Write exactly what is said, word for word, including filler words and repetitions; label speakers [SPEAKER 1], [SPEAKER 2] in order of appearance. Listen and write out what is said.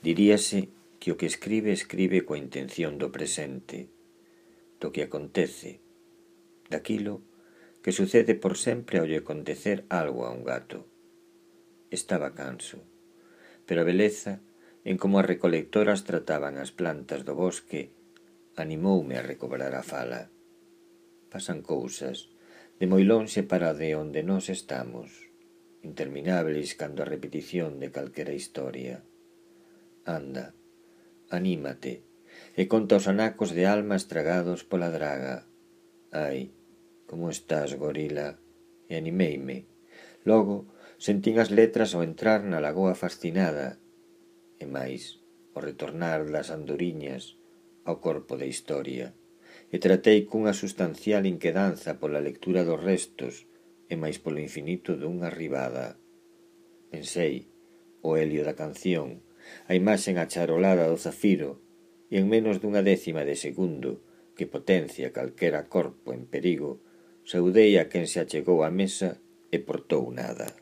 [SPEAKER 1] Diríase que o que escribe escribe coa intención do presente, do que acontece, daquilo que sucede por sempre ao lle acontecer algo a un gato. Estaba canso, pero a beleza en como as recolectoras trataban as plantas do bosque animoume a recobrar a fala. Pasan cousas de moi lonxe para de onde nós estamos, interminables cando a repetición de calquera historia. Anda, anímate, e conta os anacos de alma estragados pola draga. Ai, como estás, gorila? E animeime. Logo, sentín as letras ao entrar na lagoa fascinada, e máis, ao retornar das andoriñas ao corpo da historia, e tratei cunha sustancial inquedanza pola lectura dos restos e máis polo infinito dunha ribada. Pensei, o helio da canción, a imaxen acharolada do zafiro, e en menos dunha décima de segundo, que potencia calquera corpo en perigo, saudei a quen se achegou á mesa e portou nada.